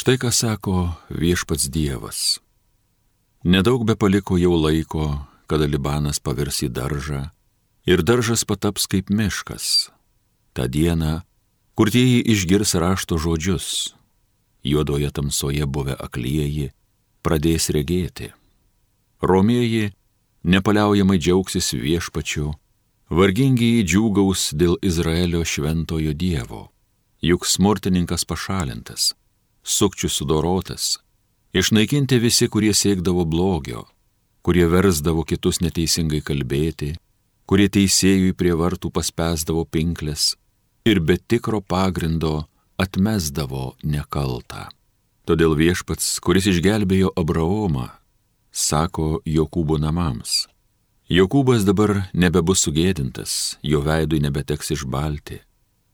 Štai ką sako viešpats Dievas. Nedaug be paliko jau laiko, kada Libanas pavirs į daržą ir daržas pataps kaip miškas. Ta diena, kurtieji išgirs rašto žodžius, juodoje tamsoje buvę aklieji pradės regėti. Romieji nepaliaujamai džiaugsis viešpačiu, vargingieji džiūgaus dėl Izraelio šventojo Dievo, juk smurtininkas pašalintas, sukčių sudorotas, išnaikinti visi, kurie siekdavo blogio, kurie versdavo kitus neteisingai kalbėti, kurie teisėjui prie vartų paspęsdavo pinkles ir be tikro pagrindo atmesdavo nekaltą. Todėl viešpats, kuris išgelbėjo Abraomą, sako Jokūbo namams: Jokūbas dabar nebebus sugėdintas, jo veidui nebeteks išbalti.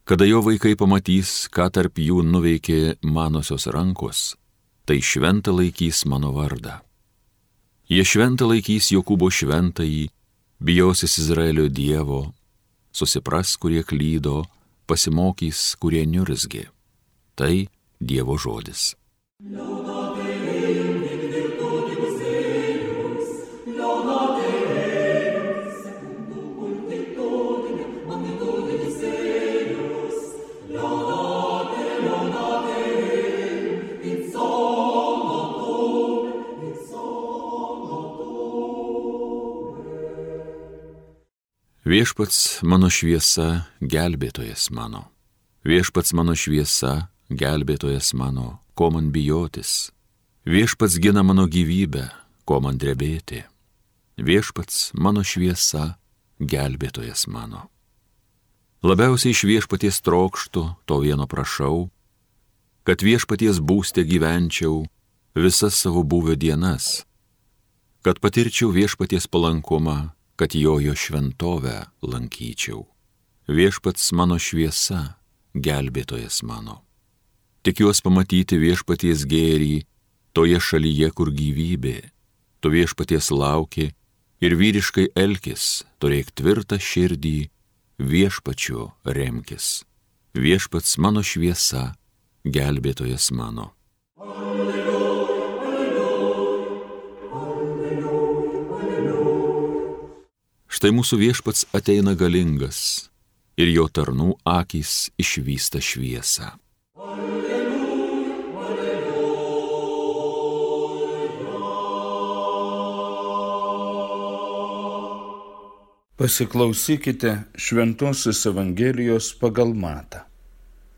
Kada jo vaikai pamatys, ką tarp jų nuveikė manosios rankos, tai šventą laikys mano vardą. Jie šventą laikys Jokūbo šventąjį, bijosis Izraelio Dievo, susipras, kurie klydo, pasimokys, kurie niurzgė. Tai Dievo žodis. Viešpats mano šviesa, gelbėtojas mano. Viešpats mano šviesa, gelbėtojas mano, ko man bijotis. Viešpats gina mano gyvybę, ko man drebėti. Viešpats mano šviesa, gelbėtojas mano. Labiausiai iš viešpaties trokštu, to vieno prašau, kad viešpaties būste gyvenčiau visas savo buvę dienas, kad patirčiau viešpaties palankumą, kad jo šventovę lankyčiau. Viešpats mano šviesa, gelbėtojas mano. Tikiuos pamatyti viešpaties gėrį toje šalyje, kur gyvybė. Tu viešpaties lauki ir vyriškai elkis, turėk tvirtą širdį, viešpačiu remkis. Viešpats mano šviesa, gelbėtojas mano. Štai mūsų viešpats ateina galingas ir jo tarnų akys išvysta šviesą. Pasiklausykite Šventosios Evangelijos pagal Matą.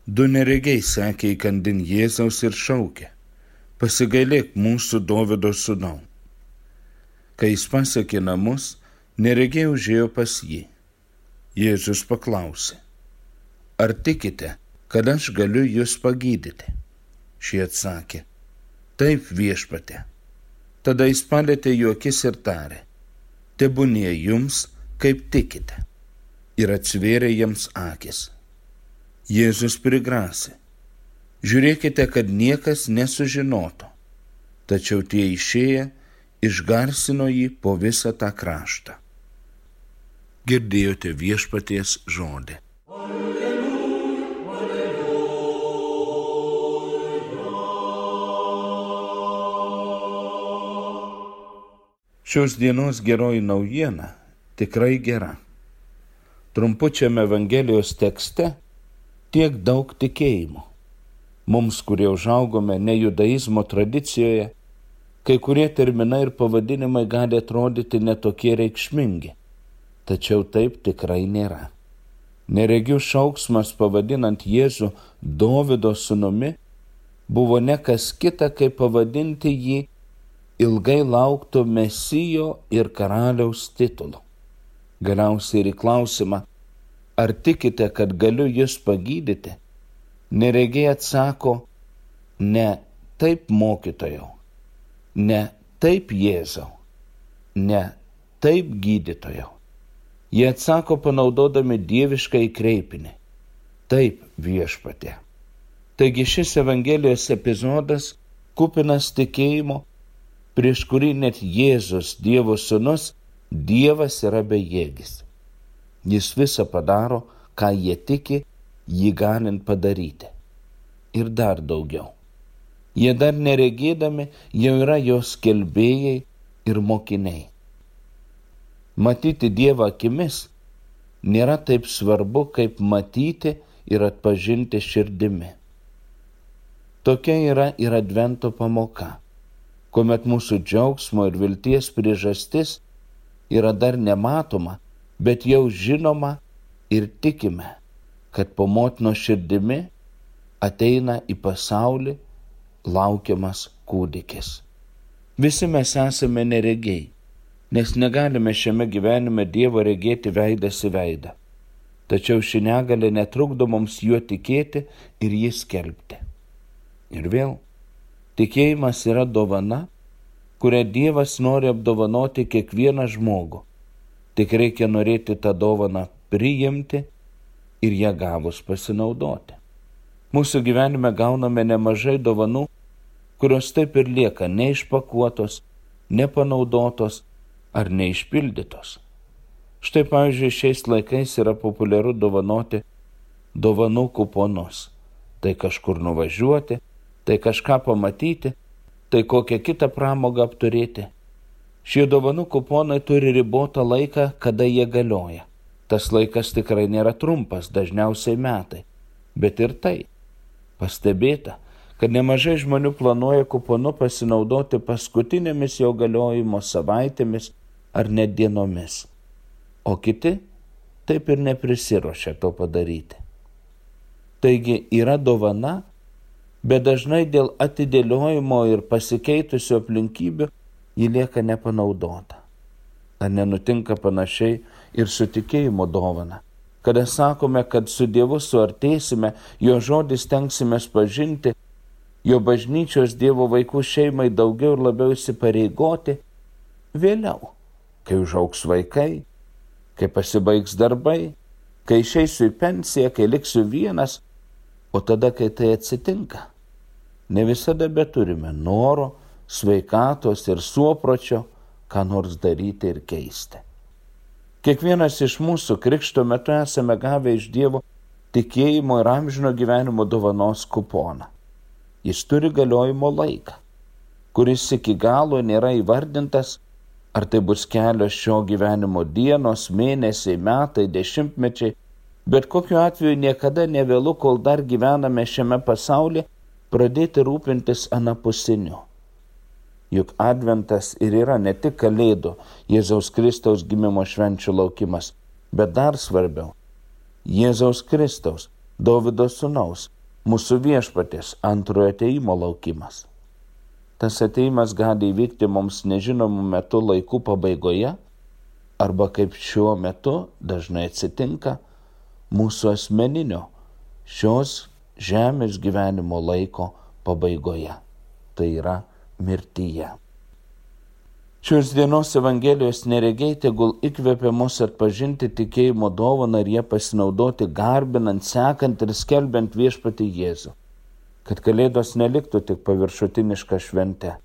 Du neregiai sekė įkandin Jėzaus ir šaukė: Pasigailėk mūsų Dovydo sūnau. Kai jis pasiekė namus, neregiai užėjo pas jį. Jėzus paklausė: Ar tikite, kad aš galiu jūs pagydyti? Šie atsakė: Taip, viešpatie. Tada jis palietė jų akis ir tarė: Tebūnie jums, kaip tikite. Ir atsivėrė jiems akis. Jėzus prigrasė: Žiūrėkite, kad niekas nesužinotų. Tačiau tie išėję išgarsino jį po visą tą kraštą. Girdėjote viešpaties žodį. Šios dienos geroji naujiena tikrai gera. Trumpučiame Evangelijos tekste tiek daug tikėjimo. Mums, kurie užaugome ne judaizmo tradicijoje, kai kurie terminai ir pavadinimai gali atrodyti netokie reikšmingi. Tačiau taip tikrai nėra. Neregių šauksmas pavadinant Jėzų Dovydo sūnumi buvo ne kas kita, kaip pavadinti jį ilgai laukto Mesijo ir karaliaus titulu. Galiausiai ir į klausimą: Ar tikite, kad galiu jūs pagydyti? Neregiai atsako: Ne taip, mokytojau. Ne taip, Jėzau. Ne taip, gydytojau. Jie atsako panaudodami dievišką kreipinį: Taip, viešpatie. Taigi šis Evangelijos epizodas kupinas tikėjimo, prieš kurį net Jėzus, Dievo sūnus, Dievas yra bejėgis. Jis visą padaro, ką jie tiki, jį galint padaryti. Ir dar daugiau. Jie dar neregėdami jau yra jos skelbėjai ir mokiniai. Matyti Dievą akimis nėra taip svarbu, kaip matyti ir atpažinti širdimi. Tokia yra ir Advento pamoka, kuomet mūsų džiaugsmo ir vilties priežastis yra dar nematoma, bet jau žinoma ir tikime, kad po motinos širdimi ateina į pasaulį laukiamas kūdikis. Visi mes esame neregiai, nes negalime šiame gyvenime Dievo regėti veidas į veidą. Tačiau ši negalė netrukdo mums juo tikėti ir jį skelbti. Ir vėl, tikėjimas yra dovana, kurią Dievas nori apdovanoti kiekvieną žmogų. Tik reikia norėti tą dovaną priimti ir ją gavus pasinaudoti. Mūsų gyvenime gauname nemažai dovanų, kurios taip ir lieka neišpakuotos, nepanaudotos ar neišpildytos. Štai pavyzdžiui, šiais laikais yra populiaru dovanoti dovanų kuponus. Tai kažkur nuvažiuoti, tai kažką pamatyti, tai kokią kitą pramogą apturėti. Šie dovanų kuponai turi ribotą laiką, kada jie galioja. Tas laikas tikrai nėra trumpas, dažniausiai metai. Bet ir tai pastebėta, kad nemažai žmonių planuoja kuponu pasinaudoti paskutinėmis jo galiojimo savaitėmis ar net dienomis. O kiti taip ir neprisiruošia to padaryti. Taigi yra dovana, bet dažnai dėl atidėliojimo ir pasikeitusių aplinkybių ji lieka nepanaudota. Ar nenutinka panašiai ir su tikėjimo dovana? Kada sakome, kad su Dievu suartėsime, jo žodį stengsimės pažinti, jo bažnyčios Dievo vaikų šeimai daugiau ir labiau įsipareigoti, vėliau, kai užaugs vaikai, kai pasibaigs darbai, kai išeisiu į pensiją, kai liksiu vienas, o tada, kai tai atsitinka, ne visada beturime noro, sveikatos ir suopročio, ką nors daryti ir keisti. Kiekvienas iš mūsų krikšto metu esame gavę iš Dievo tikėjimo ir amžino gyvenimo dovanos kuponą. Jis turi galiojimo laiką, kuris iki galo nėra įvardintas, ar tai bus kelios šio gyvenimo dienos, mėnesiai, metai, dešimtmečiai, bet kokiu atveju niekada nevėlu, kol dar gyvename šiame pasaulyje, pradėti rūpintis anapusiniu. Juk Adventas ir yra ne tik Kalėdų, Jėzaus Kristaus gimimo švenčių laukimas, bet dar svarbiau, Jėzaus Kristaus, Dovydo sūnaus, mūsų viešpaties antrojo atėjimo laukimas. Tas atėjimas gali įvykti mums nežinomų metų laikų pabaigoje, arba kaip šiuo metu dažnai atsitinka, mūsų asmeninio šios žemės gyvenimo laiko pabaigoje. Tai yra mirtyje. Šios dienos Evangelijos neregiai tegul įkvepia mus atpažinti tikėjimo dovaną ir ją pasinaudoti garbinant, sekant ir skelbiant viešpatį Jėzų. Kad Kalėdos neliktų tik paviršutiniška švente,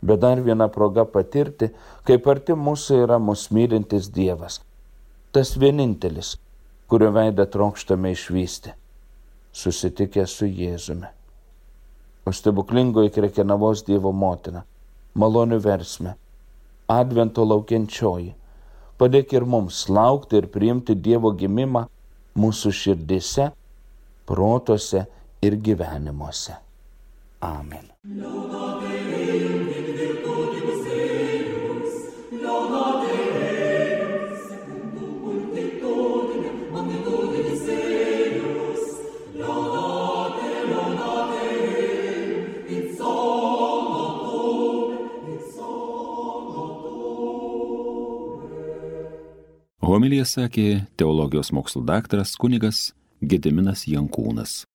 bet dar viena proga patirti, kaip arti mūsų yra mus mylintis Dievas. Tas vienintelis, kurio veidą trokštame išvysti, susitikę su Jėzumi. O stebuklingoji Krekenavos Dievo motina, malonių versmė, Advento laukiančioji, padėk ir mums laukti ir priimti Dievo gimimą mūsų širdise, protuose ir gyvenimuose. Amen. Homiliją sakė teologijos mokslų daktaras kunigas Gediminas Jankūnas.